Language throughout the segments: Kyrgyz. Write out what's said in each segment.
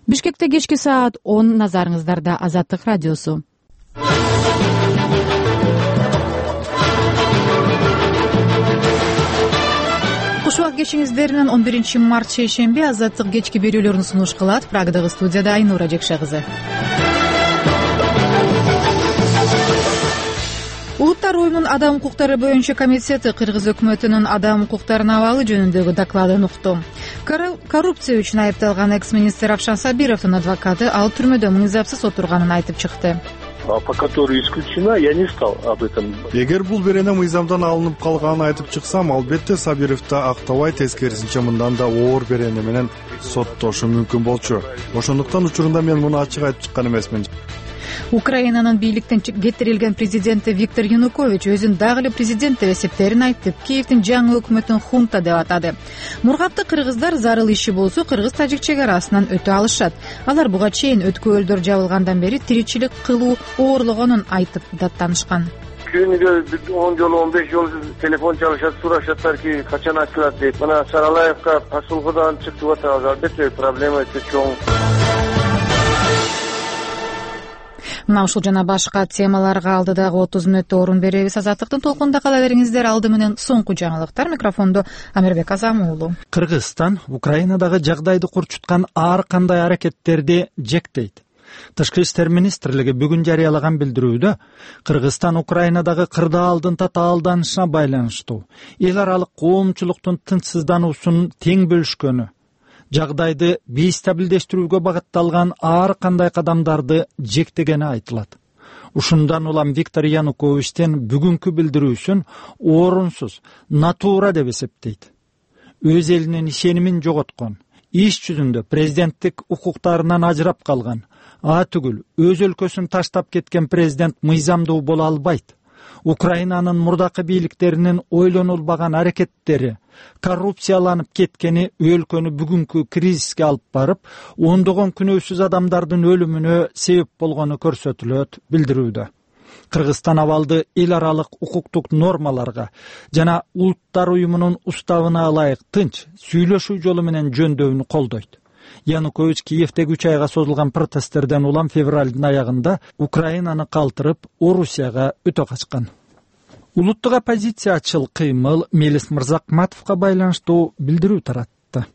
Бишкекте кечки саат 10, назарыңыздарда Азаттык радиосу. Куш убак кешиңиздеринен 11-март шейшемби Азаттык кечки берүүлөрүн сунуш кылат. Прагдагы студияда Айнура Жекше кызы. Улуттар уюмунун адам укуктары боюнча комитети Кыргыз өкмөтүнүн адам укуктарынын абалы жөнүндөгү докладын укту. Коррупция үчүн айыпталган экс-министр Равшан Сабировдун адвокаты ал түрмөдө мыйзапсыз отурганын айтып чыкты. По которой исключена, я не стал об этом. Эгер бул берене мыйзамдан алынып калганын айтып чыксам, албетте Сабировду актабай, тескерисинче мындан да оор берене менен соттошу мүмкүн болчу. Ошондуктан учурунда мен муну ачык айтып чыккан эмесмин. Украинанын бийликтен кетирилген президенти Виктор Янукович өзүн дагы эле президент деп эсептерин айтып, Киевдин жаңы өкмөтүн хунта деп атады. Мургапты кыргыздар зарыл иши болсо кыргыз-тажик чек арасынан өтө алышат. Алар буга чейин өткөлдөр жабылгандан бери тиричилик кылуу оорлогонун айтып даттанышкан. Күнүгө 10 жолу 15 жолу телефон чалышат, сурашаттарки качан ачылат дейт. Мына Саралаевка посулкадан чыктып атабыз, албетте проблема өтө чоң. Мына ушул жана башка темаларга алдыдагы 30 мүнөттө орун беребиз. Азаттыктын толкунунда кала бериңиздер. Алды менен соңку жаңылыктар. Микрофондо Амирбек Азам уулу. Кыргызстан Украинадагы жагдайды курчуткан ар кандай аракеттерди жектейт. Тышкы иштер министрлиги бүгүн жарыялаган билдирүүдө Кыргызстан Украинадагы кырдаалдын татаалданышына байланыштуу эл аралык коомчулуктун тынчсыздануусун тең бөлүшкөнү, жагдайды бейстабилдештирүүгө багытталган ар кандай кадамдарды жектегени айтылат. Ушундан улам Виктор Януковичтен бүгүнкү билдирүүсүн орунсуз, натура деп эсептейт. Өз элинин ишенимин жоготкон, иш жүзүндө президенттик укуктарынан ажырап калган, түгүл өз өлкөсүн таштап кеткен президент мыйзамдуу боло албайт. Украинанын мурдакы бийликтеринин ойлонулбаган аракеттери, коррупцияланып кеткени өлкөнү бүгүнкү кризиске алып барып, ондогон күнөөсүз адамдардын өлүмүнө себеп болгону көрсөтүлөт билдирүүдө. Кыргызстан абалды эл аралык укуктук нормаларга жана улуттар уюмунун уставына ылайык тынч сүйлөшүү жолу менен жөндөүүнү колдойт. Янукович Киевдеги 3 айга созулган протесттерден улам февралдын аягында Украинаны калтырып, Орусияга өтө качкан. Улуттук оппозициячыл кыймыл Мелис Мырзакматовго байланыштуу билдирүү таратты.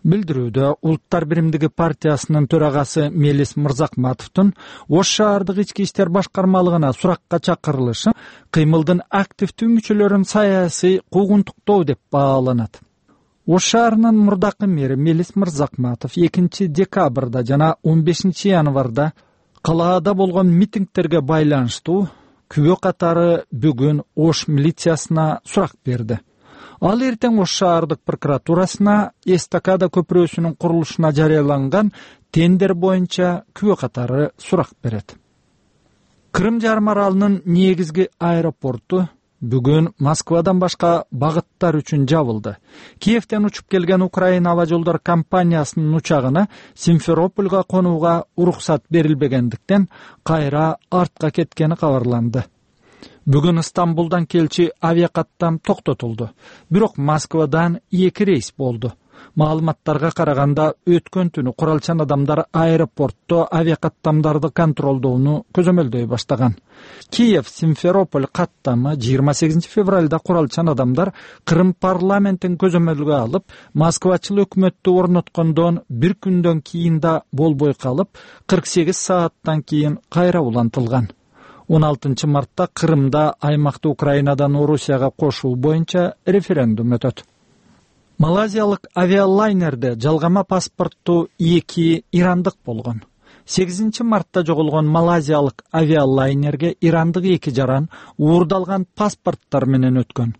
Билдирүүдө Улуттар биримдиги партиясынын төрагасы Мелис Мырзакматовдун Ош шаардык ички иштер башкармалыгына суракка чакырылышы кыймылдын активдүү мүчөлөрүн саясий куугунтуктоо деп бааланат. Ош шаарынын мурдакы мэри Мелис Мырзакматов 2 декабрда жана 15 январда калаада болгон митингтерге байланыштуу күбө катары бүгүн Ош милициясына сурак берди. Ал эртең Ош шаардык прокуратурасына эстакада көпүрөсүнүн курулушуна жарыяланган тендер боюнча күбө катары сурак берет. Крым жарым аралынын негизги аэропорту бүгүн Москвадан башка багыттар үчүн жабылды. Киевден учуп келген Украина аба жолдор компаниясынын учагына Симферопольго конууга уруксат берилбегендиктен кайра артка кеткени кабарланды. Бүгүн Стамбулдан келчи авиакаттам токтотулду. Бирок Москвадан 2 рейс болду. Маалыматтарга караганда өткөн түнү куралчан адамдар аэропортто авиакаттамдарды контролдоону көзөмөлдөй баштаган. Киев-Симферополь каттамы 28 февралда куралчан адамдар Крым парламентин көзөмөлгө алып, Москвачыл өкмөттү орноткондон 1 күндөн кийин да болбой калып, 48 сааттан кийин кайра улантылган. 16 мартта Крымда аймакты Украинадан Орусияга кошуу боюнча референдум өтөт. Малайзиялык авиалайнерде жалгама паспорттуу 2 ирандык болгон. 8 мартта жоголгон малайзиялык авиалайнерге ирандык 2 жаран уурдалган паспорттар менен өткөн.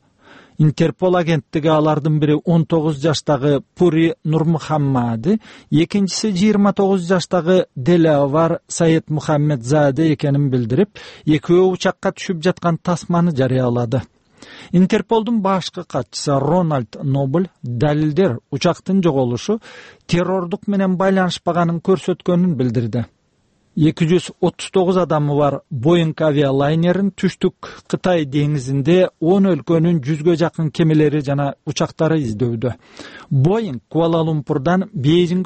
Интерпол агенттиги алардын бири 19 жаштагы Пури Нурмухаммади, экинчиси 29 жаштагы Делавар Саид Мухаммедзаде экенин билдирип, экөө учакка түшүп жаткан тасманы жарыялады. Интерполдун башкы катчысы Рональд Нобль далилдер учактын жоголушу террордук менен байланышпаганын көрсөткөнүн билдирди. 239 адамы бар Boeing авиалайнерин түштүк Кытай деңизинде 10 өлкөнүн 100гө жакын кемелери жана учактары издөүдө. Boeing Куала-Лумпурдан Бейжиңге